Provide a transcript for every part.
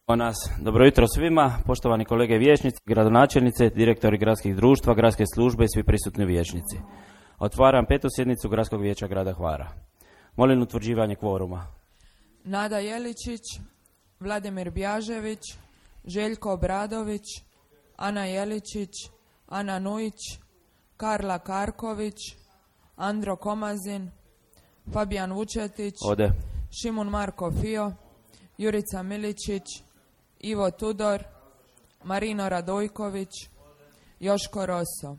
Nas. Dobro jutro svima, poštovani kolege vijećnici, gradonačelnice, direktori gradskih društva, gradske službe i svi prisutni vijećnici. Otvaram 5. sjednicu Gradskog vijeća grada Hvara. Molim utvrđivanje kvoruma. Nada Jeličić, Vladimir Bjažević, Željko Obradović, Ana Jeličić, Ana Nujić, Karla Karković, Andro Komazin, Fabijan Vučetić, Ode. Šimun Marko Fio, Jurica Miličić, Ivo Tudor, Marino Radojković, Joško Roso.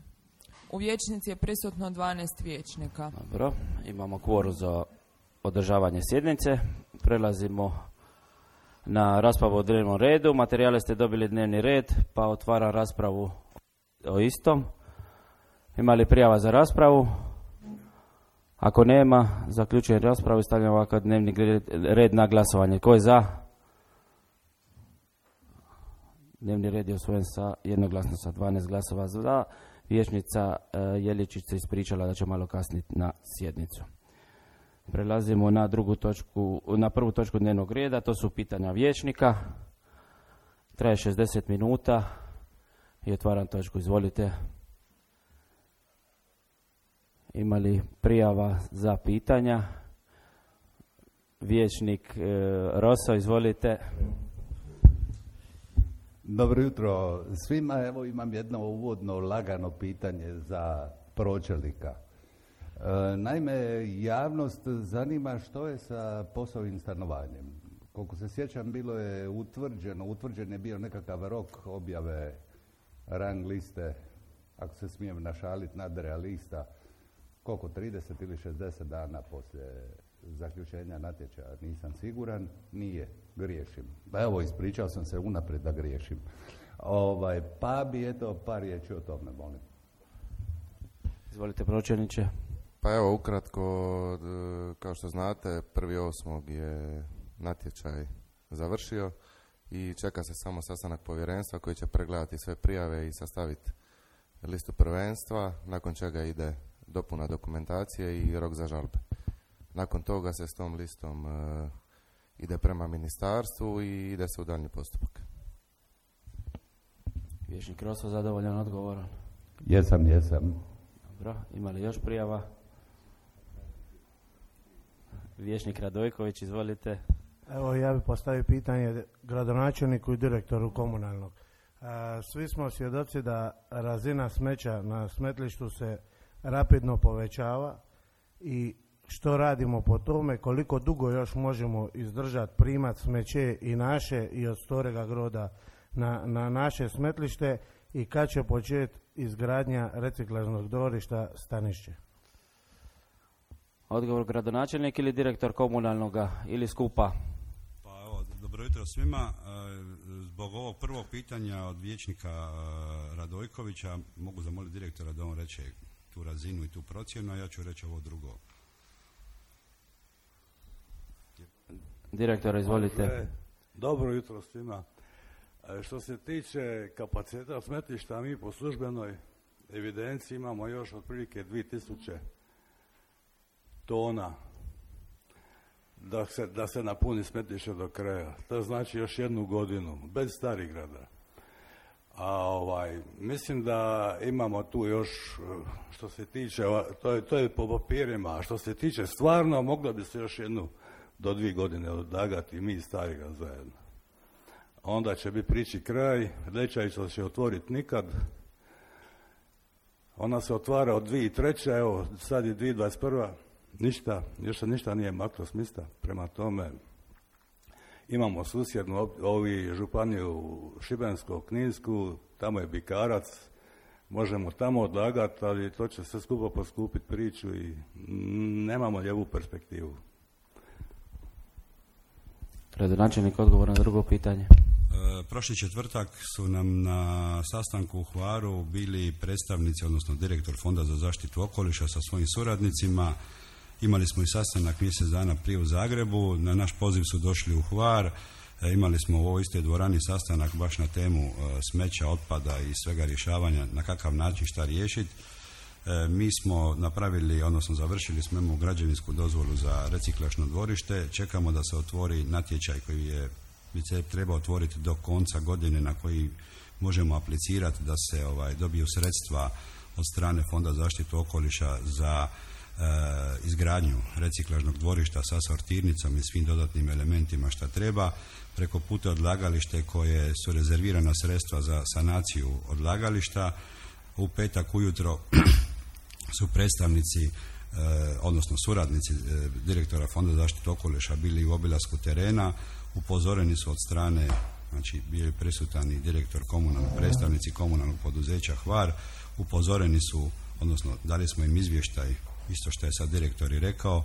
U vijećnici je prisutno 12 vijećnika. Dobro, imamo kvorum za održavanje sjednice. Prelazimo na raspravu o dnevnom redu. Materijale ste dobili dnevni red, pa otvaram raspravu o istom. Ima li prijava za raspravu? Ako nema, zaključujem raspravu i stavljam ovakav dnevni red na glasovanje. Tko je za? Dnevni red je usvojen jednoglasno sa 12 glasova za. Vijećnica Jeličić se ispričala da će malo kasniti na sjednicu. Prelazimo na prvu točku dnevnog reda, to su pitanja vijećnika. Traje 60 minuta i otvaram točku. Izvolite. Ima li prijava za pitanja? Vijećnik Roso, izvolite. Dobro jutro svima. Evo imam jedno uvodno lagano pitanje za pročelnika. Naime, javnost zanima što je sa POS-ovim stanovanjem. Koliko se sjećam, bilo je utvrđen je bio nekakav rok objave rang liste, ako se smijem našaliti, nadrealista, koliko, 30 ili 60 dana poslije zaključenja natječaja, nisam siguran, nije, griješim. Pa evo, ispričao sam se unaprijed da griješim. Pa bi eto par riječi o tome, molim. Izvolite, pročelniče. Pa evo, ukratko, kao što znate, 1.8. je natječaj završio i čeka se samo sastanak povjerenstva koji će pregledati sve prijave i sastaviti listu prvenstva, nakon čega ide dopuna dokumentacije i rok za žalbe. Nakon toga se s tom listom ide prema ministarstvu i ide se u daljnji postupak. Vijećnik Roso, zadovoljan odgovorom? Jesam. Dobro, ima li još prijava? Vijećnik Radojković, izvolite. Evo, ja bih postavio pitanje gradonačelniku i direktoru komunalnog. Svi smo svjedoci da razina smeća na smetlištu se rapidno povećava i što radimo po tome, koliko dugo još možemo izdržati primat smeće i naše i od Storega Groda na naše smetlište i kad će početi izgradnja reciklažnog dvorišta Stanišće? Odgovor gradonačelnik ili direktor komunalnoga ili skupa? Pa evo, dobro jutro svima. Zbog ovog prvog pitanja od vijećnika Radojkovića mogu zamoliti direktora da on reče tu razinu i tu procjenu, a ja ću reći ovo drugo. Direktor, izvolite. Dobro jutro svima. Što se tiče kapaciteta smetlišta, mi po službenoj evidenciji imamo još otprilike 2000 tona da se napuni smetlište do kraja. To znači još 1 godinu, bez Starigrada. A mislim da imamo tu još, što se tiče, to je po papirima, a što se tiče stvarno, moglo bi se još 1 do 2 godine odlagati mi i Starigrad zajedno. Onda će biti priči kraj, Lećajica će otvoriti nikad. Ona se otvara od 2003. Evo, sad je 2021. Ništa, još se ništa nije maklo s mjesta. Prema tome, imamo susjednu županiju Šibensko-kninsku, tamo je Bikarac, možemo tamo odlagati, ali to će sve skupo poskupiti priču i nemamo lijevu perspektivu. Gradonačelnik, odgovor na drugo pitanje. Prošli četvrtak su nam na sastanku u Hvaru bili predstavnici, odnosno direktor Fonda za zaštitu okoliša sa svojim suradnicima. Imali smo i sastanak mjesec dana prije u Zagrebu, na naš poziv su došli u Hvar, imali smo u ovoj istoj dvorani sastanak baš na temu smeća, otpada i svega rješavanja, na kakav način šta riješiti. Mi smo napravili, odnosno završili smo građevinsku dozvolu za reciklažno dvorište, čekamo da se otvori natječaj koji je bi se treba otvoriti do konca godine na koji možemo aplicirati da se dobiju sredstva od strane Fonda za zaštitu okoliša za izgradnju reciklažnog dvorišta sa sortirnicom i svim dodatnim elementima šta treba, preko puta odlagalište koje su rezervirana sredstva za sanaciju odlagališta. U petak ujutro su predstavnici, odnosno suradnici direktora Fonda za zaštitu okoliša bili u obilasku terena, upozoreni su od strane, znači bio je prisutan i direktor predstavnici komunalnog poduzeća Hvar, upozoreni su, odnosno dali smo im izvještaj, isto što je sad direktor i rekao,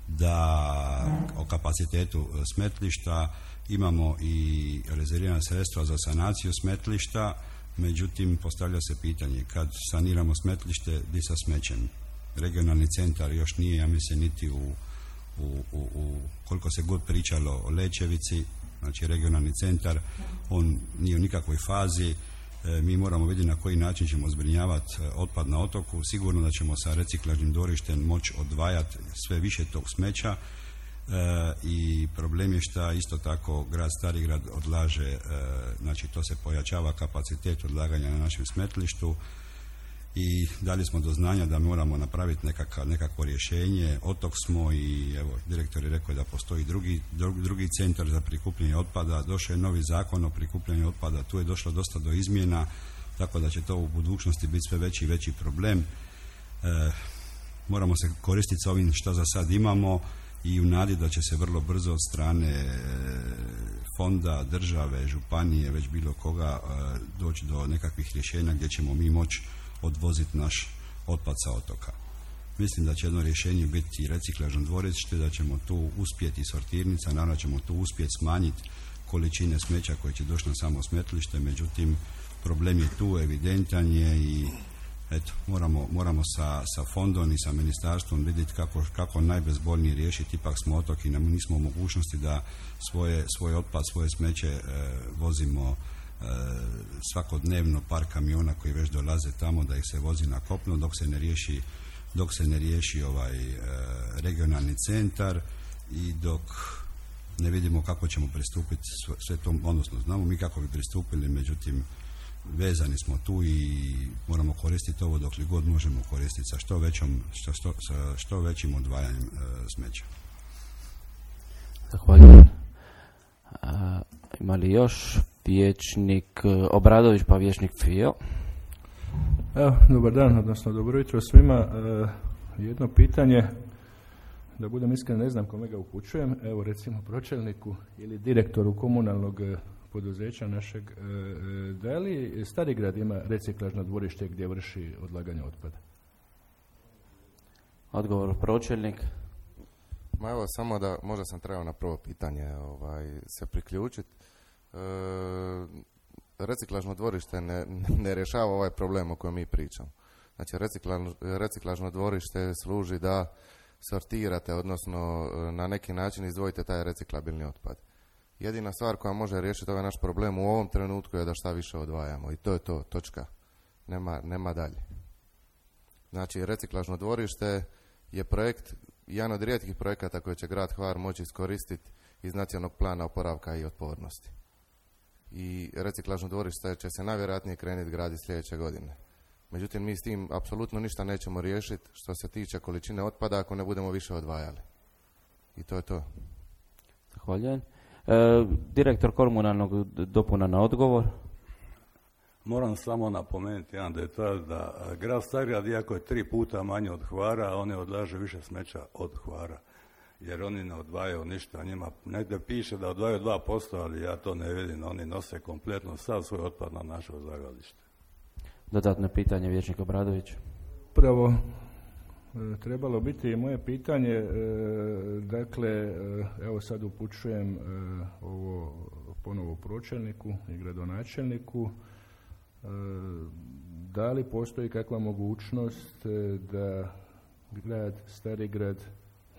da o kapacitetu smetlišta imamo i rezervirana sredstva za sanaciju smetlišta, međutim postavlja se pitanje kad saniramo smetlište di sa smećem. Regionalni centar još nije, ja mislim, niti u koliko se god pričalo o Lečevici, znači regionalni centar, on nije u nikakvoj fazi. Mi moramo vidjeti na koji način ćemo zbrinjavati otpad na otoku. Sigurno da ćemo sa reciklažnim dvorištem moći odvajati sve više tog smeća i problem je što isto tako grad Starigrad odlaže, znači to se pojačava kapacitet odlaganja na našem smetlištu i dali smo do znanja da moramo napraviti nekakvo rješenje. Otok smo i evo, direktor je rekao da postoji drugi centar za prikupljanje otpada, došao je novi zakon o prikupljanju otpada, tu je došlo dosta do izmjena, tako da će to u budućnosti biti sve veći i veći problem. Moramo se koristiti sa ovim što za sad imamo i u nadi da će se vrlo brzo od strane fonda, države, županije, već bilo koga doći do nekakvih rješenja gdje ćemo mi moći odvoziti naš otpad sa otoka. Mislim da će jedno rješenje biti reciklažno dvorište, da ćemo tu uspjeti sortirnica, naravno ćemo tu uspjeti smanjiti količine smeća koje će doći na samo smetlište, međutim problem je tu, evidentan je i eto, moramo sa fondom i sa ministarstvom vidjeti kako najbezbolnije riješiti. Ipak smo otok i nismo u mogućnosti da svoj otpad, svoje smeće vozimo svakodnevno par kamiona koji već dolaze tamo, da ih se vozi na kopno dok se ne riješi regionalni centar i dok ne vidimo kako ćemo pristupiti sve to, odnosno znamo mi kako bi pristupili, međutim vezani smo tu i moramo koristiti ovo dok li god možemo koristiti sa što većim odvajanjem smeća. Zahvaljujem. Ima li još vijećnik Obradović pa vijećnik Fio? Evo, dobar dan, odnosno dobro jutro svima. Jedno pitanje, da budem iskren, ne znam kome ga upućujem, evo recimo pročelniku ili direktoru komunalnog poduzeća našeg, da li Starigrad ima reciklažno dvorište gdje vrši odlaganje otpada? Odgovor pročelnik. Ma evo, samo da, možda sam trebao na prvo pitanje se priključiti. Reciklažno dvorište ne rješava ovaj problem o kojem mi pričamo. Znači, reciklažno dvorište služi da sortirate, odnosno na neki način izdvojite taj reciklabilni otpad. Jedina stvar koja može riješiti ovaj naš problem u ovom trenutku je da šta više odvajamo i to je to, točka. Nema dalje. Znači, reciklažno dvorište je projekt, jedan od rijetkih projekata koje će grad Hvar moći iskoristiti iz nacionalnog plana oporavka i otpornosti. I reciklažno dvorište će se najvjerojatnije krenuti graditi sljedeće godine. Međutim, mi s tim apsolutno ništa nećemo riješiti što se tiče količine otpada ako ne budemo više odvajali. I to je to. Zahvaljujem. Direktor komunalnog dopuna na odgovor. Moram samo napomenuti jedan detalj da grad Starigrad, iako je 3 puta manje od Hvara, oni odlaže više smeća od Hvara. Jer oni ne odvajaju ništa, njima negdje piše da odvajaju 2%, ali ja to ne vidim, oni nose kompletno sav svoj otpad na naše odlagalište. Dodatno pitanje, vijećnik Obradović. Prvo, trebalo biti i moje pitanje, dakle, evo sad upućujem ovo ponovo pročelniku i gradonačelniku, da li postoji kakva mogućnost da grad Starigrad,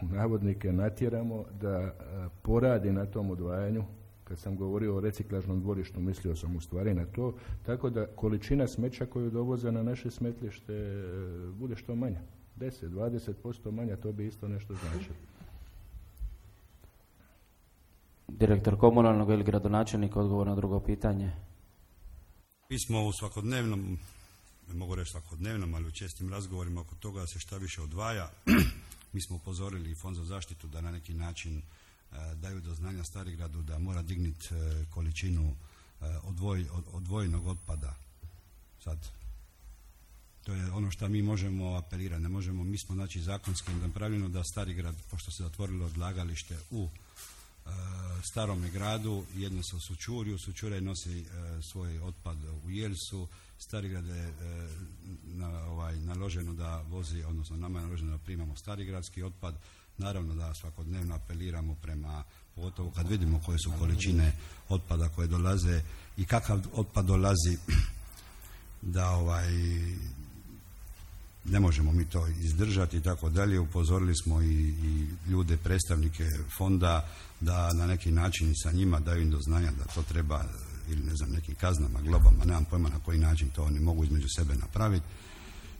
navodnike, natjeramo da poradi na tom odvajanju. Kad sam govorio o reciklažnom dvorištu, mislio sam u stvari na to, tako da količina smeća koju dovoze na naše smetlište bude što manja. 10-20% manja, to bi isto nešto značilo. Direktor komunalnog ili gradonačelnik, odgovor na drugo pitanje. Mi smo u svakodnevnom, ne mogu reći svakodnevnom, ali u čestim razgovorima oko toga se šta više odvaja. Mi smo upozorili i Fond za zaštitu da na neki način daju do znanja Starigradu da mora dignuti količinu odvojenog otpada. Sad, to je ono što mi možemo apelirati. Ne možemo, mi smo znači zakonski napravljeno da Starigrad, pošto se zatvorilo odlagalište u starome gradu, jedno se u Sućurju, Sućuraj nosi svoj otpad u Jelsu, Starigrad je naloženo da vozi, odnosno nama je naloženo da primamo starigradski otpad. Naravno da svakodnevno apeliramo prema, pogotovo kad vidimo koje su količine otpada koje dolaze i kakav otpad dolazi, da ne možemo mi to izdržati i tako dalje. Upozorili smo i ljude, predstavnike fonda, da na neki način sa njima daju im do znanja da to treba, ili ne znam, nekim kaznama, globama, nemam pojma na koji način to oni mogu između sebe napraviti,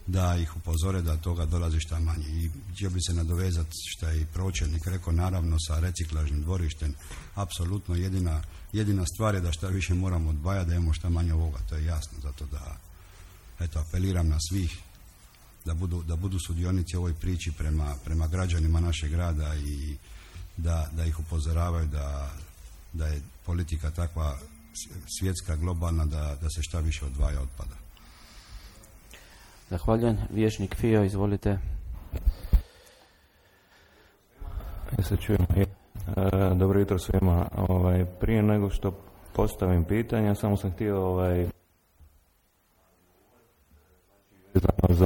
da ih upozore da toga dolazi šta manje. I htio bi se nadovezati što je i pročelnik rekao, naravno sa reciklažnim dvorištem, apsolutno jedina stvar je da šta više moramo odvajati, da imamo šta manje ovoga, to je jasno, zato da apeliram na svih da budu sudionici ovoj priči prema građanima našeg grada i da ih upozoravaju da je politika takva svjetska, globalna, da se šta više odvaja otpada. Zahvaljujem. Vijećnik Fio, izvolite. Ja se čujem. Dobro jutro svima. Prije nego što postavim pitanja, samo sam htio za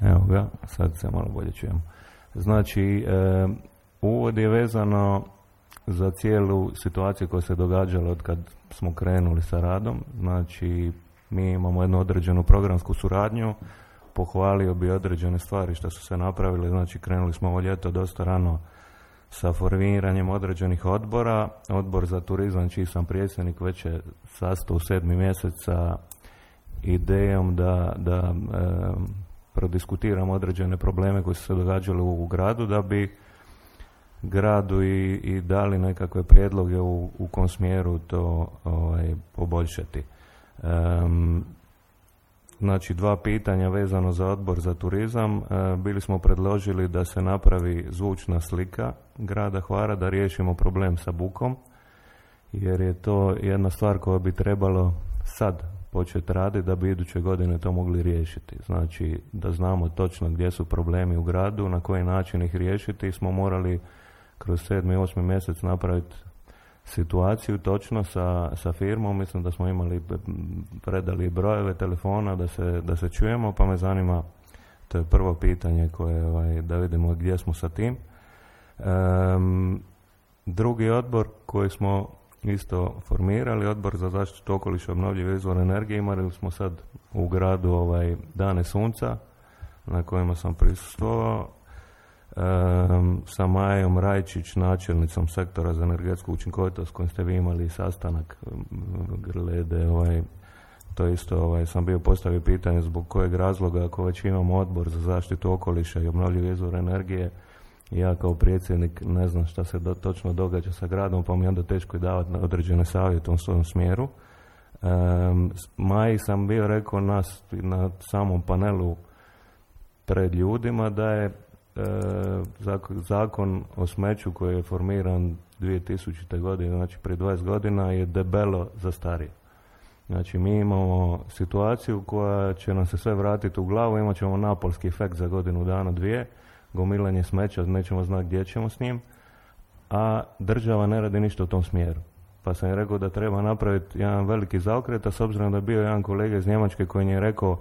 evo ga, sad se malo bolje čujemo. Znači, uvod je vezano za cijelu situaciju koja se događala od kad smo krenuli sa radom. Znači, mi imamo jednu određenu programsku suradnju, pohvalio bi određene stvari što su se napravile. Znači, krenuli smo ovo ljeto dosta rano sa formiranjem određenih odbora. Odbor za turizam, čiji sam predsjednik, već je sastao u 7. mjesec sa idejom da prodiskutiramo određene probleme koji su se događali u gradu, da bi gradu i dali nekakve prijedloge u kom smjeru to poboljšati. Znači, 2 pitanja vezano za odbor za turizam. Bili smo predložili da se napravi zvučna slika grada Hvara, da riješimo problem sa bukom, jer je to jedna stvar koja bi trebalo sad početi raditi da bi iduće godine to mogli riješiti. Znači, da znamo točno gdje su problemi u gradu, na koji način ih riješiti. Smo morali kroz 7. i 8. mjesec napraviti situaciju točno sa firmom. Mislim da smo predali brojeve telefona da se čujemo, pa me zanima, to je prvo pitanje koje da vidimo gdje smo sa tim. Drugi odbor koji smo isto formirali, odbor za zaštitu okoliša i obnovljive izvore energije. Imali smo sad u gradu dane sunca na kojima sam prisustvovao sa Majom Rajčić, načelnicom sektora za energetsku učinkovitost, kojim ste vi imali sastanak glede to isto sam bio postavio pitanje zbog kojeg razloga, ako već imamo odbor za zaštitu okoliša i obnovljive izvore energije, ja kao predsjednik ne znam šta se točno događa sa gradom, pa mi je onda teško i davati određene savjete u svom smjeru. Maji sam bio rekao na samom panelu pred ljudima da je zakon o smeću koji je formiran 2000. godine, znači prije 20 godina, je debelo zastario. Znači, mi imamo situaciju koja će nam se sve vratiti u glavu, imat ćemo napolski efekt za godinu dana, 2, gomilanje smeća, nećemo znati gdje ćemo s njim, a država ne radi ništa u tom smjeru. Pa sam je rekao da treba napraviti jedan veliki zaokret, a s obzirom da je bio jedan kolega iz Njemačke koji je rekao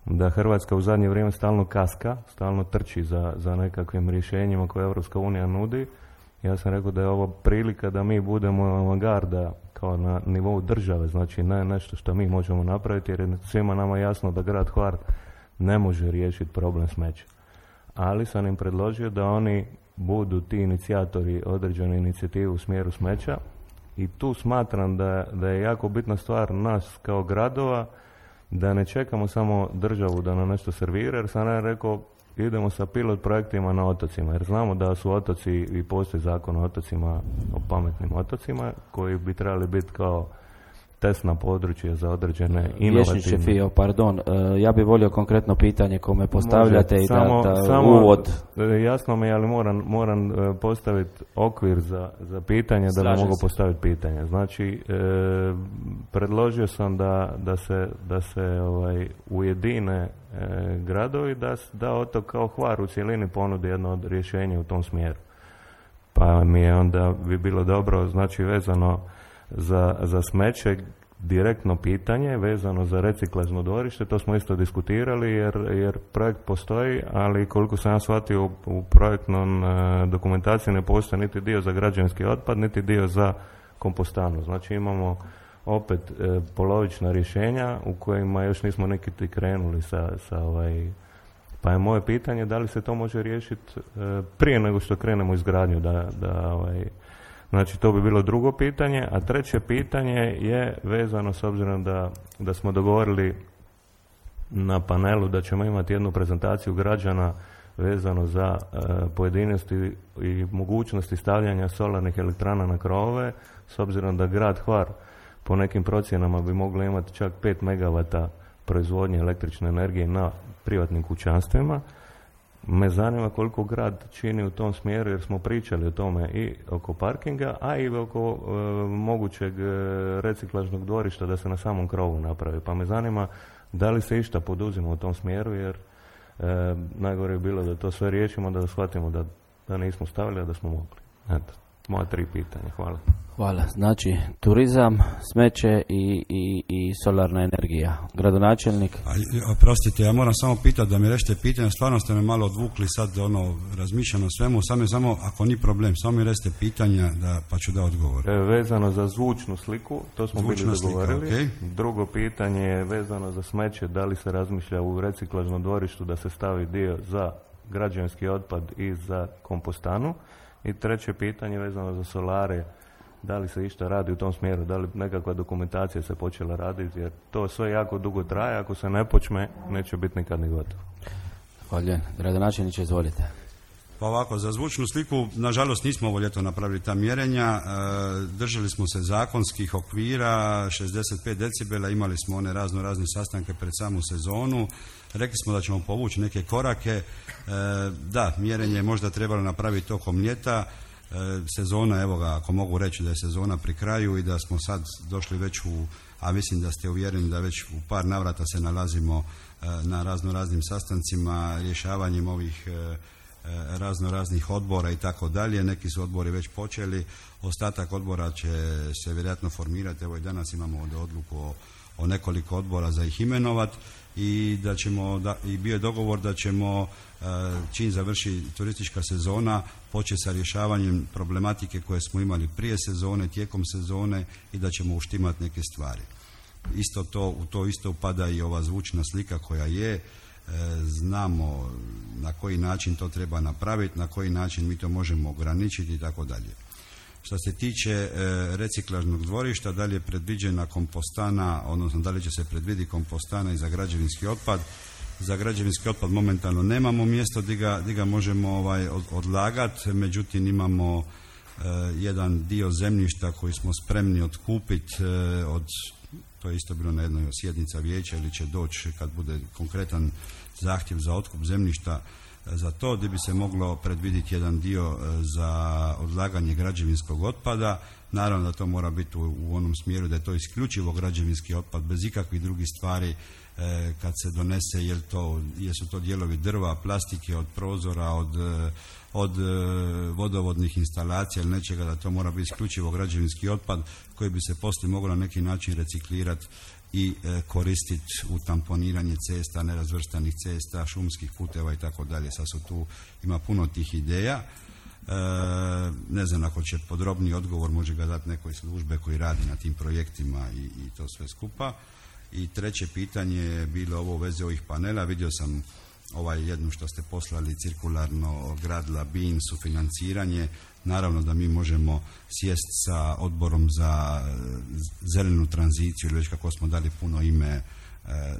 da Hrvatska u zadnje vrijeme stalno kaska, stalno trči za nekakvim rješenjima koje Europska unija nudi, ja sam rekao da je ovo prilika da mi budemo avangarda kao na nivou države, znači ne nešto što mi možemo napraviti, jer je svima nama jasno da grad Hvar ne može riješiti problem smeća. Ali sam im predložio da oni budu ti inicijatori određene inicijative u smjeru smeća, I tu smatram da je jako bitna stvar nas kao gradova, da ne čekamo samo državu da nam nešto servira, jer sam ja rekao idemo sa pilot projektima na otocima, jer znamo da su otoci i postoji zakon o otocima, o pametnim otocima, koji bi trebali biti kao testna područja za određene inovativne... Vječniče Fio, pardon, ja bih volio konkretno pitanje kome postavljate. Može, i da uvod... Jasno mi je, ali moram postaviti okvir za pitanje da bi mogu postaviti pitanje. Znači, predložio sam da se ujedine gradovi, da otok kao Hvar u cjelini ponudi jedno od rješenja u tom smjeru. Pa mi je onda bi bilo dobro, znači vezano za smeće, direktno pitanje vezano za reciklažno dvorište, to smo isto diskutirali jer projekt postoji, ali koliko sam ja shvatio u projektnom dokumentaciji ne postoji niti dio za građevinski otpad, niti dio za kompostanu. Znači imamo opet polovična rješenja u kojima još nismo neki krenuli sa pa je moje pitanje da li se to može riješiti prije nego što krenemo u izgradnju, znači to bi bilo drugo pitanje, a treće pitanje je vezano s obzirom da smo dogovorili na panelu da ćemo imati jednu prezentaciju građana vezano za pojedinosti i mogućnosti stavljanja solarnih elektrana na krovove, s obzirom da grad Hvar po nekim procjenama bi mogli imati čak 5 megavata proizvodnje električne energije na privatnim kućanstvima. Me zanima koliko grad čini u tom smjeru, jer smo pričali o tome i oko parkinga, a i oko mogućeg reciklažnog dvorišta da se na samom krovu napravi. Pa me zanima da li se išta poduzima u tom smjeru, jer najgore je bilo da to sve riješimo, da shvatimo da nismo stavili, a da smo mogli. Eto, moja 3 pitanja. Hvala. Hvala. Znači, turizam, smeće i solarna energija. Gradonačelnik? Oprostite, ja moram samo pitati da mi rešite pitanje, stvarno ste me malo odvukli sad, razmišljam o svemu, samo ako ni problem, samo mi rešite pitanja pa ću da odgovor. Vezano za zvučnu sliku, to smo bili dogovorili. Okay. Drugo pitanje je vezano za smeće, da li se razmišlja u reciklažnom dvorištu da se stavi dio za građevinski otpad i za kompostanu. I treće pitanje vezano za solare, da li se išta radi u tom smjeru, da li nekakva dokumentacija se počela raditi, jer to sve jako dugo traje, ako se ne počne, neće biti nikad ni gotovo. Hvala. Gradonačelniče, izvolite. Pa ovako, za zvučnu sliku, nažalost nismo ovo ljeto napravili ta mjerenja, držali smo se zakonskih okvira, 65 decibela, imali smo one razne sastanke pred samu sezonu, rekli smo da ćemo povući neke korake, da, mjerenje je možda trebalo napraviti tokom ljeta, sezona, evo ga, ako mogu reći da je sezona pri kraju i da smo sad došli već a mislim da ste uvjereni da već u par navrata se nalazimo na raznim sastancima, rješavanjem ovih raznih odbora i tako dalje. Neki su odbori već počeli, ostatak odbora će se vjerojatno formirati. Evo i danas imamo ovdje odluku o nekoliko odbora za ih imenovati i i bio je dogovor da ćemo čim završi turistička sezona početi sa rješavanjem problematike koje smo imali prije sezone, tijekom sezone i da ćemo uštimati neke stvari. U to isto upada i ova zvučna slika koja je. Znamo na koji način to treba napraviti, na koji način mi to možemo ograničiti i tako dalje. Što se tiče reciklažnog dvorišta, da li je predviđena kompostana, odnosno da li će se predviditi kompostana i za građevinski otpad. Za građevinski otpad momentalno nemamo mjesto gdje ga možemo odlagati, međutim imamo jedan dio zemljišta koji smo spremni otkupiti to je isto bilo na jednoj sjednica vijeća ili će doći kad bude konkretan zahtjev za otkup zemljišta za to, gdje bi se moglo predvidjeti jedan dio za odlaganje građevinskog otpada. Naravno da to mora biti u onom smjeru da je to isključivo građevinski otpad bez ikakvih drugih stvari kad se donese, jesu to dijelovi drva, plastike, od prozora, od vodovodnih instalacija ili nečega, da to mora biti isključivo građevinski otpad koji bi se poslije moglo na neki način reciklirati i koristiti u tamponiranje cesta, nerazvrstanih cesta, šumskih puteva i tako dalje. Sad ima puno tih ideja. Ne znam, ako će podrobni odgovor može ga dati nekoj službe koji radi na tim projektima i to sve skupa. I treće pitanje je bilo ovo u vezi ovih panela. Vidio sam jednu što ste poslali cirkularno grad Labin, sufinanciranje. Naravno da mi možemo sjesti sa odborom za zelenu tranziciju ili već kako smo dali puno ime,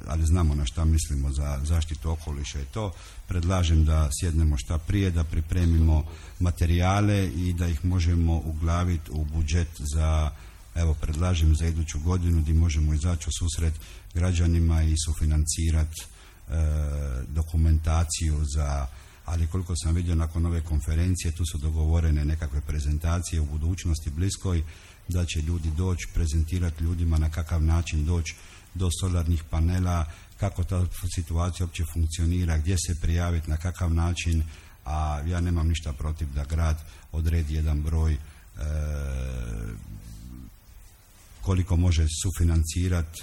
ali znamo na šta mislimo za zaštitu okoliša i to. Predlažem da sjednemo šta prije, da pripremimo materijale i da ih možemo uglaviti u budžet za, evo predlažem za iduću godinu gdje možemo izaći u susret građanima i sufinancirati dokumentaciju za, ali koliko sam vidio nakon ove konferencije, tu su dogovorene nekakve prezentacije u budućnosti bliskoj, da će ljudi doći, prezentirati ljudima na kakav način doći do solarnih panela, kako ta situacija uopće funkcionira, gdje se prijaviti, na kakav način, a ja nemam ništa protiv da grad odredi jedan broj koliko može sufinancirati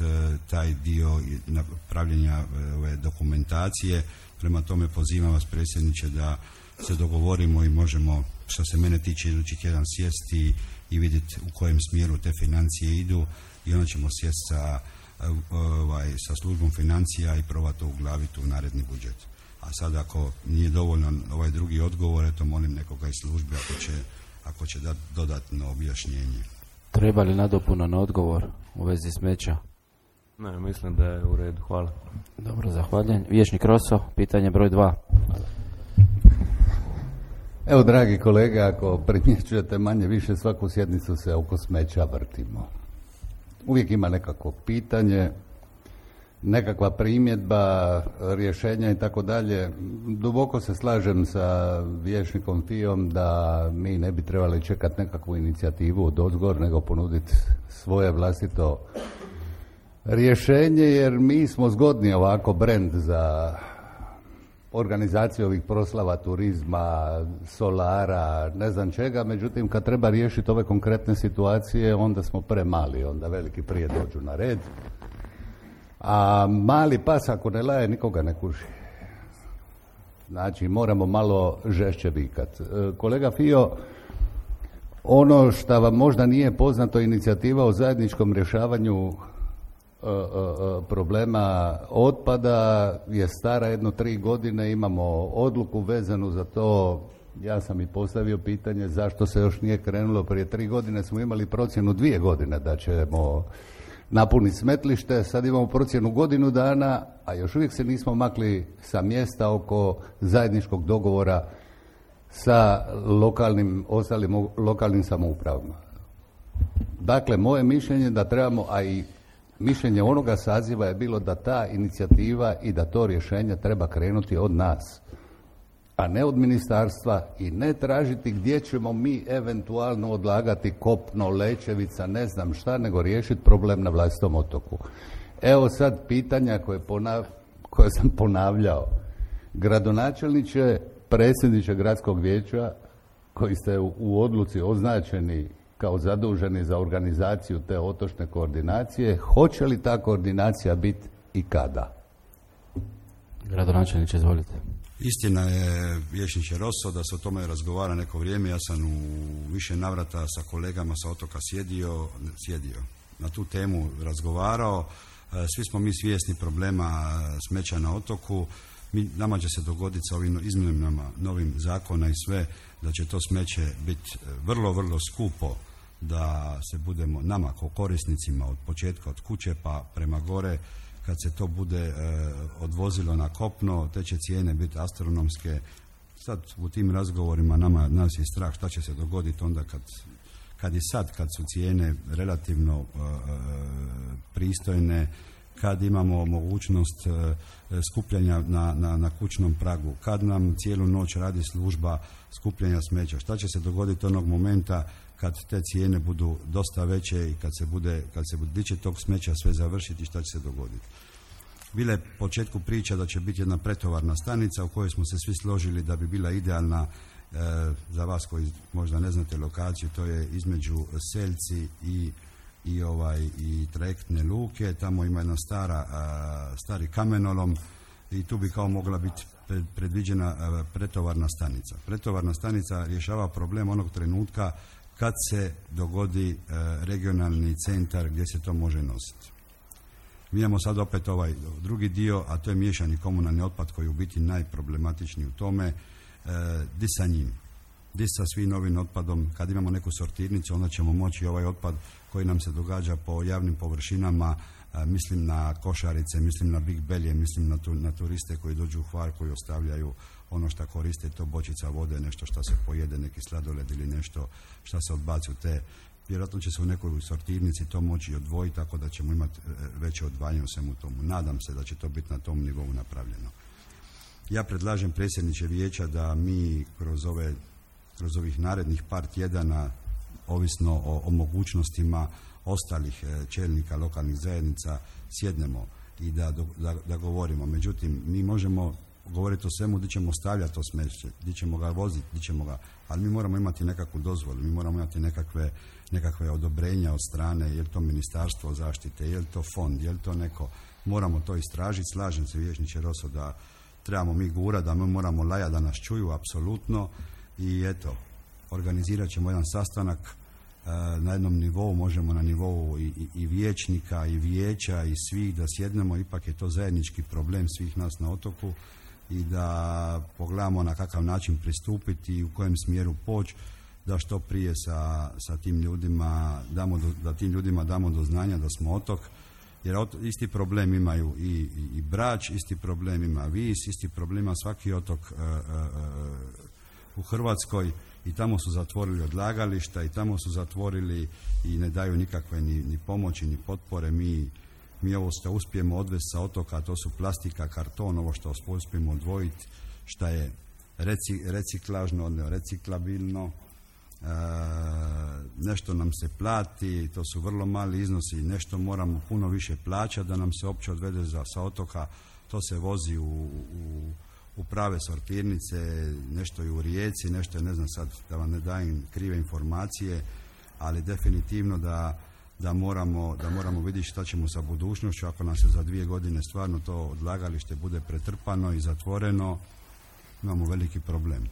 taj dio napravljenja ove dokumentacije. Prema tome pozivam vas, predsjedniče, da se dogovorimo i možemo, što se mene tiče, idući tjedan sjesti i vidjeti u kojem smjeru te financije idu i onda ćemo sjesti sa službom financija i probati to uglaviti u naredni budžet. A sad ako nije dovoljno ovaj drugi odgovor, eto molim nekoga iz službe ako će dati dodatno objašnjenje. Treba li nadopunan odgovor u vezi smeća? Ne, mislim da je u redu. Hvala. Dobro, zahvaljujem. Vijećnik Rosso, pitanje broj 2. Evo, dragi kolega, ako primjećujete manje više svaku sjednicu se oko smeća vrtimo. Uvijek ima nekakvo pitanje, nekakva primjedba, rješenja i tako dalje. Duboko se slažem sa vijećnikom Fijom da mi ne bi trebali čekati nekakvu inicijativu od ozgor, nego ponuditi svoje vlastito rješenje, jer mi smo zgodni ovako brend za organizaciju ovih proslava turizma, solara, ne znam čega, međutim kad treba riješiti ove konkretne situacije onda smo premali, onda veliki prije dođu na red, a mali pas ako ne laje nikoga ne kuži. Znači moramo malo žešće vikat. Kolega Fio, ono što vam možda nije poznato, inicijativa o zajedničkom rješavanju problema otpada je stara jedno 3 godine, imamo odluku vezanu za to. Ja sam i postavio pitanje zašto se još nije krenulo. Prije 3 godine smo imali procjenu 2 godine da ćemo napuniti smetlište, sad imamo procjenu godinu dana, a još uvijek se nismo makli sa mjesta oko zajedničkog dogovora sa ostalim lokalnim samoupravama. Dakle, moje mišljenje da trebamo, a i mišljenje onoga saziva je bilo da ta inicijativa i da to rješenje treba krenuti od nas, a ne od ministarstva i ne tražiti gdje ćemo mi eventualno odlagati kopno, Lečevica, ne znam šta, nego riješiti problem na vlastitom otoku. Evo sad pitanja koje sam ponavljao. Gradonačelniče, predsjedniče gradskog vijeća, koji ste u odluci označeni kao zaduženi za organizaciju te otočne koordinacije, hoće li ta koordinacija biti i kada? Gradonačelniče, izvolite. Istina je, vijećniče Rosso, da se o tome razgovara neko vrijeme. Ja sam u više navrata sa kolegama sa otoka sjedio, na tu temu razgovarao. Svi smo mi svjesni problema smeća na otoku. Nama će se dogoditi sa ovim izmjenama novim zakona i sve, da će to smeće biti vrlo, vrlo skupo, da se budemo nama kao korisnicima od početka od kuće pa prema gore, kad se to bude odvozilo na kopno, te će cijene biti astronomske. Sad u tim razgovorima nas je strah šta će se dogoditi onda kad su cijene relativno pristojne, kad imamo mogućnost skupljanja na kućnom pragu, kad nam cijelu noć radi služba skupljanja smeća. Šta će se dogoditi onog momenta kad te cijene budu dosta veće i kad se bude će tog smeća sve završiti, šta će se dogoditi. Bila je početku priča da će biti jedna pretovarna stanica u kojoj smo se svi složili da bi bila idealna, za vas koji možda ne znate lokaciju, to je između Selci i trajektne luke. Tamo ima jedna stari kamenolom i tu bi kao mogla biti predviđena pretovarna stanica. Pretovarna stanica rješava problem onog trenutka kad se dogodi regionalni centar gdje se to može nositi. Mi imamo sad opet ovaj drugi dio, a to je miješani komunalni otpad koji je u biti najproblematičniji u tome. Di sa njim? Di sa svim novim otpadom? Kad imamo neku sortirnicu, onda ćemo moći ovaj otpad koji nam se događa po javnim površinama, mislim na košarice, mislim na big belje, mislim na turiste koji dođu u Hvar, koji ostavljaju ono što koriste, to bočica vode, nešto što se pojede, neki sladoled ili nešto što se odbaci u te. Vjerojatno će se u nekoj sortirnici to moći odvojiti, tako da ćemo imati veće odvajanje u svemu tomu. Nadam se da će to biti na tom nivou napravljeno. Ja predlažem predsjedniče vijeća da mi kroz ovih narednih par tjedana, ovisno o mogućnostima ostalih čelnika lokalnih zajednica, sjednemo i da govorimo. Međutim, mi možemo govoriti o svemu gdje ćemo stavljati to smeće, gdje ćemo ga voziti, ali mi moramo imati nekakvu dozvolu, mi moramo imati nekakve odobrenja od strane, je li to ministarstvo zaštite, je li to fond, je li to neko, moramo to istražiti. Slažem se, vijećniče Roso, da trebamo mi gurati, da mi moramo lajati da nas čuju, apsolutno, i eto, organizirat ćemo jedan sastanak na jednom nivou, možemo na nivou i vijećnika i vijeća i svih da sjednemo, ipak je to zajednički problem svih nas na otoku, i da pogledamo na kakav način pristupiti i u kojem smjeru poći, da što prije sa tim ljudima da tim ljudima damo do znanja da smo otok, jer isti problem imaju i Brač, isti problem ima Vis, isti problem ima svaki otok u Hrvatskoj, i tamo su zatvorili odlagališta i tamo su zatvorili i ne daju nikakve ni pomoći ni potpore. Mi ovo što uspijemo odvesti sa otoka, to su plastika, karton, ovo što uspijemo odvojiti, što je reciklažno, reciklabilno, nešto nam se plati, to su vrlo mali iznosi, nešto moramo puno više plaćati da nam se uopće odvede sa otoka, to se vozi u prave sortirnice, nešto je u Rijeci, nešto je, ne znam sad da vam ne dajem krive informacije, ali definitivno da moramo vidjeti šta ćemo sa budućnošću. Ako nam se za 2 godine stvarno to odlagalište bude pretrpano i zatvoreno, imamo veliki problem.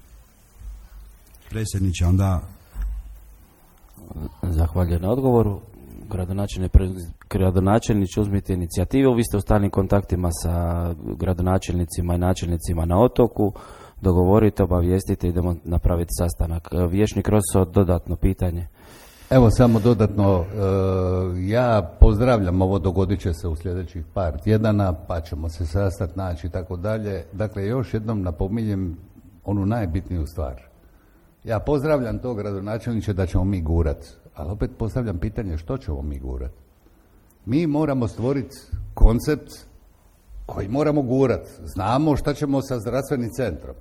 Predsjedniče, onda... Zahvaljujem na odgovoru. Gradonačelniče, uzmite inicijativu, vi ste u stalnim kontaktima sa gradonačelnicima i načelnicima na otoku, dogovorite, obavijestite, idemo napraviti sastanak. Vijećnik Roso, dodatno pitanje. Evo samo dodatno, ja pozdravljam ovo, dogodit će se u sljedećih par tjedana, pa ćemo se sastati, naći i tako dalje. Dakle, još jednom napominjem onu najbitniju stvar. Ja pozdravljam to, gradonačelniče, da ćemo mi gurat, ali opet postavljam pitanje što ćemo mi gurat. Mi moramo stvoriti koncept koji moramo gurat. Znamo šta ćemo sa zdravstvenim centrom,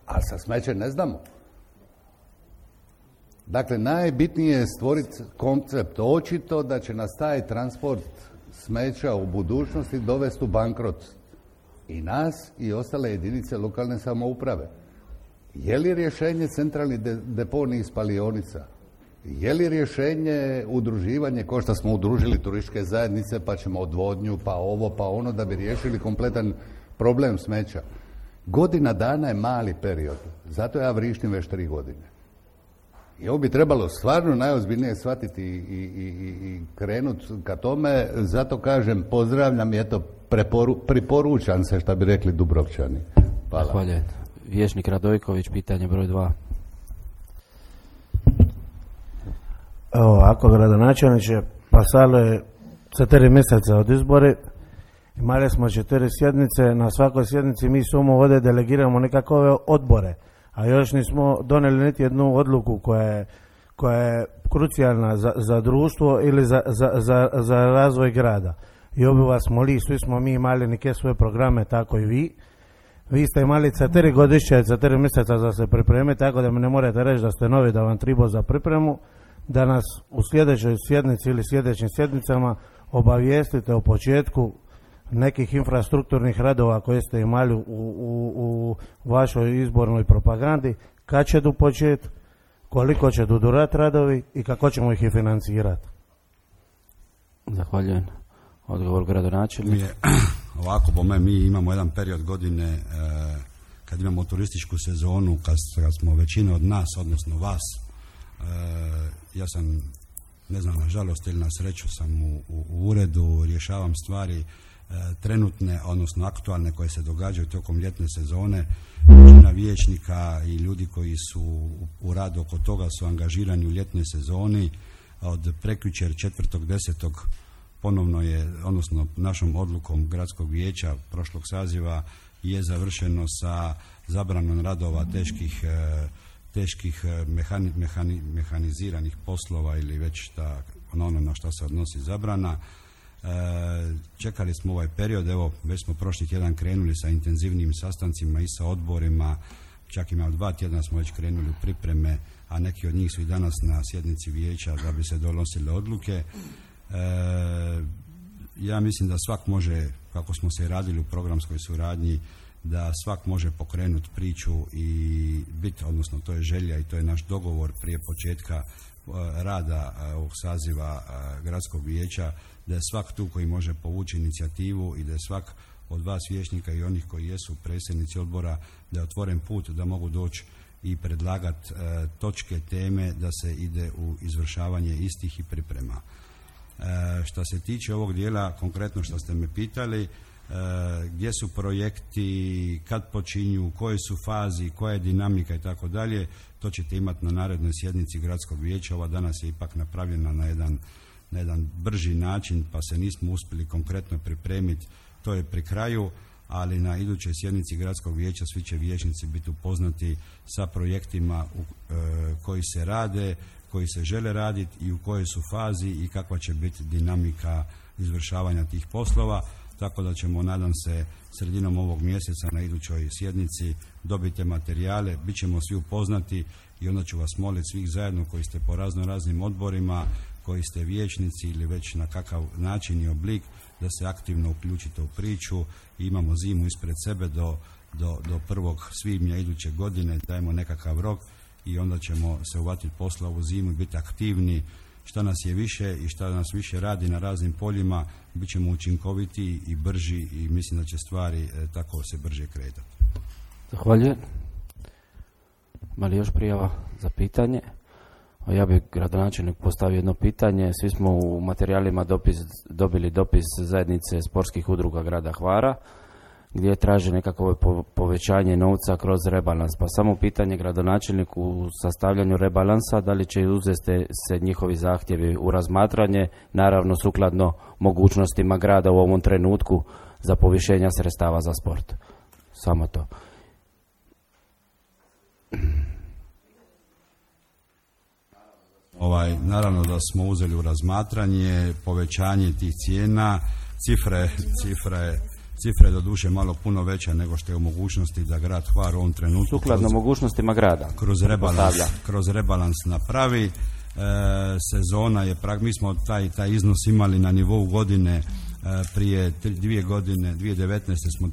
ali sa smećem ne znamo. Dakle, najbitnije je stvoriti koncept. Očito da će nas taj transport smeća u budućnosti dovesti u bankrot. I nas i ostale jedinice lokalne samouprave. Je li rješenje centralni deponij spalionica? Je li rješenje udruživanje, kao što smo udružili turističke zajednice, pa ćemo odvodnju, pa ovo, pa ono, da bi riješili kompletan problem smeća? Godina dana je mali period. Zato ja vrištim već 3 godine. I ovo bi trebalo stvarno najozbiljnije shvatiti i krenuti ka tome. Zato kažem, pozdravljam i eto, priporučam se, šta bi rekli Dubrovčani. Hvala. Zahvaljujem. Vijećnik Radojković, pitanje broj 2. Evo ovako, gradonačelniče, pasalo je 4 mjeseca od izbori, imali smo 4 sjednice, na svakoj sjednici mi samo ovdje delegiramo nekakve odbore, a još nismo donijeli niti jednu odluku koja je krucijalna za društvo ili za razvoj grada. I obi vas moli, svi smo mi imali neke svoje programe, tako i vi. Vi ste imali 4 godišnje, 4 mjeseca za se pripremiti, tako da mi ne morate reći da ste novi, da vam tribo za pripremu, da nas u sljedećoj sjednici ili sljedećim sjednicama obavijestite o početku nekih infrastrukturnih radova koje ste imali u vašoj izbornoj propagandi, kad će du početi, koliko će du durati radovi i kako ćemo ih i financirati. Zahvaljujem. Odgovor gradonačelnika. Ovako, po meni, mi imamo jedan period godine kad imamo turističku sezonu, kad smo većina od nas, odnosno vas, ja sam ne znam, na žalost ili na sreću sam u uredu, rješavam stvari trenutne, odnosno aktualne koje se događaju tokom ljetne sezone. Većina vijećnika i ljudi koji su u radu oko toga su angažirani u ljetnoj sezoni. Od prekjučer 4.10. ponovno je, odnosno našom odlukom gradskog vijeća prošlog saziva je završeno sa zabranom radova teških mehaniziranih poslova ili već ono na što se odnosi zabrana. Čekali smo ovaj period, evo već smo prošli tjedan krenuli sa intenzivnim sastancima i sa odborima, čak ima 2 tjedna smo već krenuli u pripreme, a neki od njih su i danas na sjednici vijeća da bi se donosile odluke. Ja mislim da svak može, kako smo se radili u programskoj suradnji, da svak može pokrenuti priču i biti, odnosno to je želja i to je naš dogovor prije početka rada ovog saziva gradskog vijeća, da je svak tu koji može povući inicijativu i da je svak od vas vijećnika i onih koji jesu predsjednici odbora, da je otvoren put da mogu doći i predlagati točke, teme, da se ide u izvršavanje istih i priprema. Što se tiče ovog dijela, konkretno što ste me pitali, gdje su projekti, kad počinju, u kojoj su fazi, koja je dinamika i tako dalje, to ćete imati na narednoj sjednici gradskog vijeća. Ova danas je ipak napravljena na jedan brži način, pa se nismo uspjeli konkretno pripremiti, to je pri kraju, ali na idućoj sjednici gradskog vijeća svi će vijećnici biti upoznati sa projektima koji se rade, koji se žele raditi i u kojoj su fazi i kakva će biti dinamika izvršavanja tih poslova, tako da ćemo, nadam se, sredinom ovog mjeseca na idućoj sjednici dobiti materijale, bit ćemo svi upoznati i onda ću vas moliti svih zajedno koji ste po raznim odborima, koji ste vijećnici ili već na kakav način i oblik, da se aktivno uključite u priču. Imamo zimu ispred sebe do 1. svibnja iduće godine, dajemo nekakav rok i onda ćemo se uvatiti posla ovu zimu i biti aktivni. Šta nas je više i šta nas više radi na raznim poljima, bit ćemo učinkoviti i brži i mislim da će stvari tako se brže kretati. Zahvaljujem. Ima li još prijava za pitanje? Ja bih gradonačelnik postavio jedno pitanje. Svi smo u materijalima dobili dopis zajednice sportskih udruga grada Hvara gdje traže nekakvo povećanje novca kroz rebalans. Pa samo pitanje gradonačelniku u sastavljanju rebalansa, da li će uzeti se njihovi zahtjevi u razmatranje, naravno sukladno mogućnostima grada u ovom trenutku za povišenja sredstava za sport. Samo to. Naravno da smo uzeli u razmatranje povećanje tih cijena, cifre doduše malo puno veća nego što je u mogućnosti da grad Hvar u ovom trenutku sukladno mogućnostima grada kroz rebalans napravi. Sezona je, mi smo taj iznos imali na nivou godine prije 2 godine, 2019. smo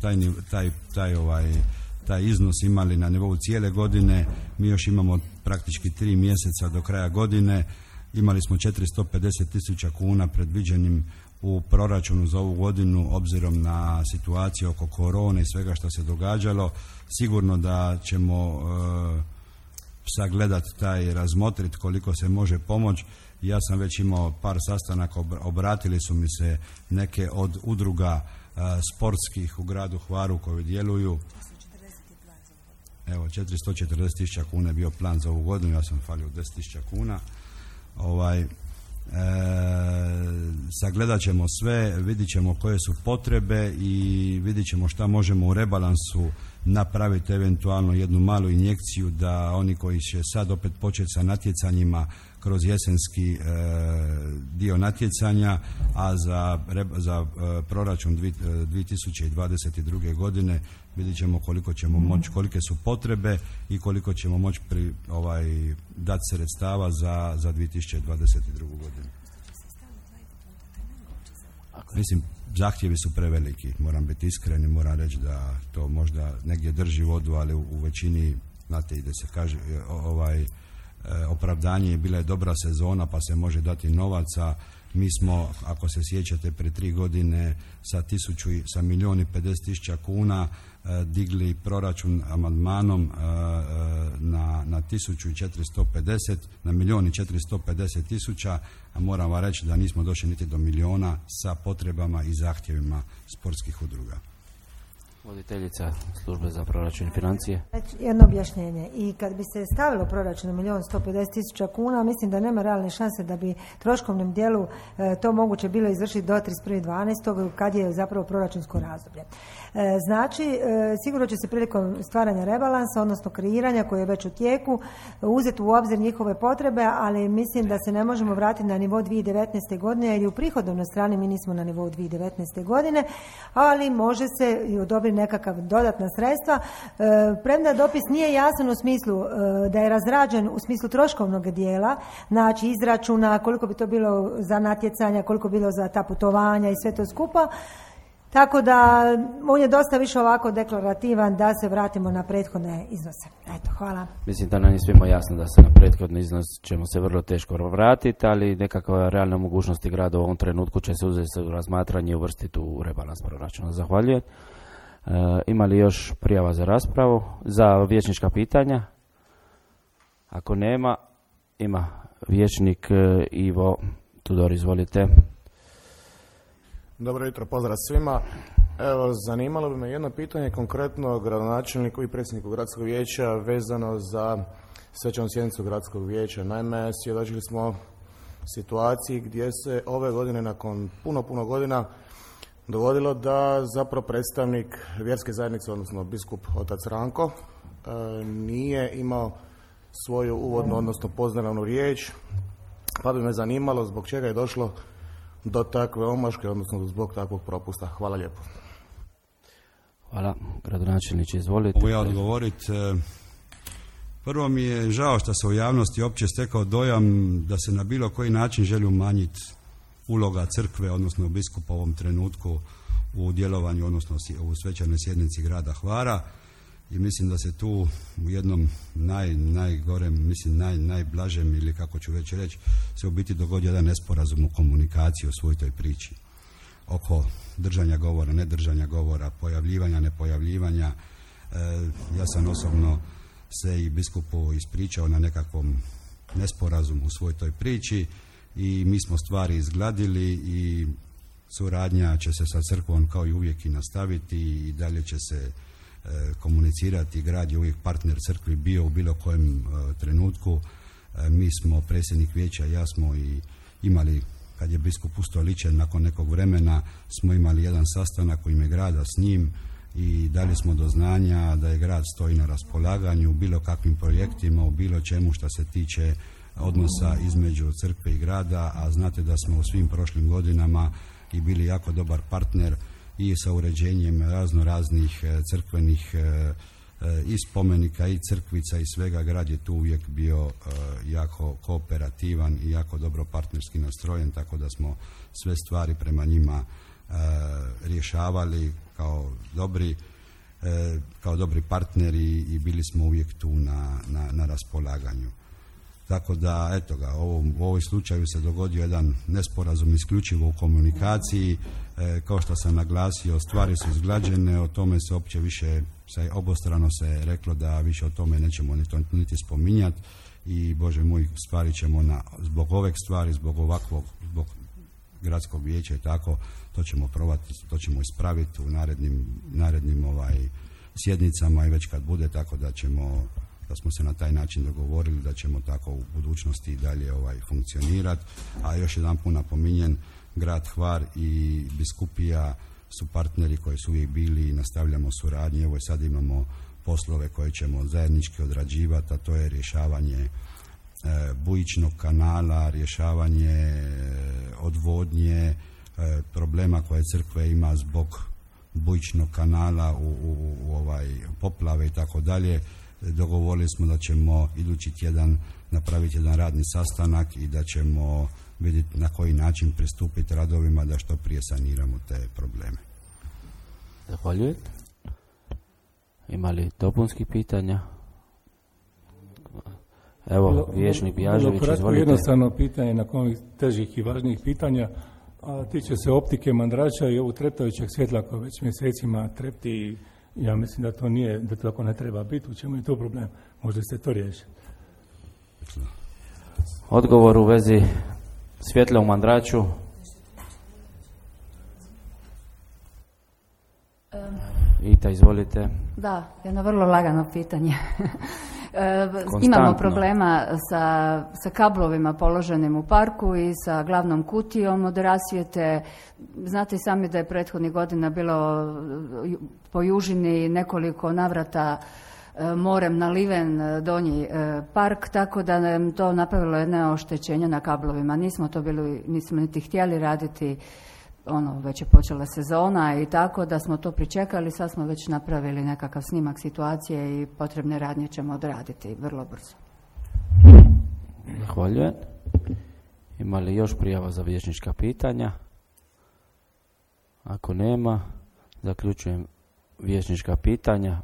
taj iznos imali na nivou cijele godine. Mi još imamo praktički 3 mjeseca do kraja godine. Imali smo 450.000 kuna predviđenim u proračunu za ovu godinu, obzirom na situaciju oko korone i svega što se događalo. Sigurno da ćemo sagledati razmotriti koliko se može pomoći. Ja sam već imao par sastanaka, obratili su mi se neke od udruga sportskih u gradu Hvaru koji djeluju. Evo, 440.000 kuna je bio plan za ovu godinu, ja sam falio 10.000 kuna. Sagledat ćemo sve, vidit ćemo koje su potrebe i vidit ćemo šta možemo u rebalansu napraviti, eventualno jednu malu injekciju da oni koji će sad opet početi sa natjecanjima kroz jesenski dio natjecanja, a za proračun 2022. godine vidit ćemo koliko ćemo moći, kolike su potrebe i koliko ćemo moći dati sredstava za 2022. godinu. Mislim, zahtjevi su preveliki, moram biti iskren i moram reći da to možda negdje drži vodu, ali u većini, znate, ide se kaže, opravdanje je bila je dobra sezona pa se može dati novaca. Mi smo, ako se sjećate, pred 3 godine sa 1.050.000 kuna digli proračun amandmanom na 1.450, na 1.450.000, a moram vam reći da nismo došli niti do milijuna sa potrebama i zahtjevima sportskih udruga. Voditeljica službe za proračun i financije. Jedno objašnjenje. I kad bi se stavilo proračun na 1.150.000 kuna, mislim da nema realne šanse da bi troškovnom dijelu to moguće bilo izvršiti do 31.12. kad je zapravo proračunsko razdoblje. Znači, sigurno će se prilikom stvaranja rebalansa, odnosno kreiranja koji je već u tijeku, uzeti u obzir njihove potrebe, ali mislim da se ne možemo vratiti na nivo 2019. godine, jer i u prihodovnoj strani mi nismo na nivou 2019. godine, ali može se i odobriti nekakav dodatna sredstva. Premda dopis nije jasan u smislu da je razrađen u smislu troškovnog dijela, znači izračuna koliko bi to bilo za natjecanja, koliko bilo za ta putovanja i sve to skupa. Tako da on je dosta više ovako deklarativan da se vratimo na prethodne iznose. Eto, hvala. Mislim da nam je svima jasno da se na prethodni iznos ćemo se vrlo teško vratiti, ali nekakva realna mogućnosti grada u ovom trenutku će se uzeti u razmatranje i uvrstiti u rebalans proračuna. Zahvaljujem. Ima li još prijava za raspravu, za vijećnička pitanja? Ako nema, ima vijećnik Ivo Tudor, izvolite. Dobro jutro, pozdrav svima. Evo, zanimalo bi me jedno pitanje konkretno gradonačelniku i predsjedniku gradskog vijeća vezano za svečanu sjednicu gradskog vijeća. Naime, svjedočili smo situaciji gdje se ove godine nakon puno godina dogodilo da zapravo predstavnik vjerske zajednice, odnosno biskup otac Ranko, nije imao svoju uvodnu, odnosno pozdravnu riječ, pa bi me zanimalo zbog čega je došlo do takve omaške, odnosno zbog takvog propusta. Hvala lijepo. Hvala. Gradonačelniče, izvolite. Mogu ja odgovoriti. Prvo mi je žao što se u javnosti opće stekao dojam da se na bilo koji način želi umanjiti uloga crkve, odnosno biskupa u ovom trenutku u djelovanju, odnosno u svečanoj sjednici grada Hvara, i mislim da se tu u jednom najgorem, mislim najblažem, ili kako ću već reći, se u biti dogodio jedan nesporazum u komunikaciji o svoj toj priči oko držanja govora, nedržanja govora, pojavljivanja, nepojavljivanja. Ja sam osobno se i biskupu ispričao na nekakvom nesporazumu u svoj toj priči i mi smo stvari izgladili i suradnja će se sa crkvom kao i uvijek i nastaviti i dalje će se komunicirati. Grad je uvijek partner crkvi bio u bilo kojem trenutku. Mi smo, predsjednik vijeća, ja smo i imali, kad je biskup ustoličen nakon nekog vremena, smo imali jedan sastanak u ime grada s njim i dali smo do znanja da je grad stoji na raspolaganju u bilo kakvim projektima, u bilo čemu što se tiče odnosa između crkve i grada, a znate da smo u svim prošlim godinama i bili jako dobar partner i sa uređenjem raznih crkvenih i spomenika i crkvica i svega. Grad je tu uvijek bio jako kooperativan i jako dobro partnerski nastrojen, tako da smo sve stvari prema njima rješavali kao dobri partneri i bili smo uvijek tu na raspolaganju. Tako da, eto ga, u ovoj slučaju se dogodio jedan nesporazum isključivo u komunikaciji. Kao što sam naglasio, stvari su izglađene, o tome se opće više, obostrano se reklo da više o tome nećemo niti spominjati i, Bože moj, stvari ćemo zbog ove stvari, zbog gradskog vijeća i tako, to ćemo probati, to ćemo ispraviti u narednim sjednicama i već kad bude, tako da smo se na taj način dogovorili da ćemo tako u budućnosti i dalje funkcionirati. A još jedan put napominjem, grad Hvar i biskupija su partneri koji su uvijek bili i nastavljamo suradnju. Evo sad imamo poslove koje ćemo zajednički odrađivati, a to je rješavanje bujičnog kanala, rješavanje odvodnje, problema koje crkve ima zbog bujičnog kanala u poplave i tako dalje. Dogovorili smo da ćemo idući tjedan napraviti jedan radni sastanak i da ćemo vidjeti na koji način pristupiti radovima da što prije saniramo te probleme. Zahvaljujem. Ima li dopunskih pitanja? Evo, vijećnik Bjažević, izvolite. Jednostavno pitanje nakon ovih težih i važnijih pitanja, a tiče se optike Mandrača i ovog treptajućeg svjetla koje već mjesecima trepti i ja mislim da to nije, da tako ne treba biti. U čemu je to problem? Možda ste to riješili. Odgovor u vezi svjetla u Mandraču. Ita, izvolite. Da, jedno vrlo lagano pitanje. Imamo problema sa kablovima položenim u parku i sa glavnom kutijom od rasvjete. Znate sami da je prethodnih godina bilo po južini nekoliko navrata morem naliven donji park, tako da nam to napravilo jedno oštećenje na kablovima. Nismo niti htjeli raditi, već je počela sezona i tako da smo to pričekali, sad smo već napravili nekakav snimak situacije i potrebne radnje ćemo odraditi vrlo brzo. Zahvaljujem. Ima li još prijava za vijećnička pitanja? Ako nema, zaključujem vijećnička pitanja.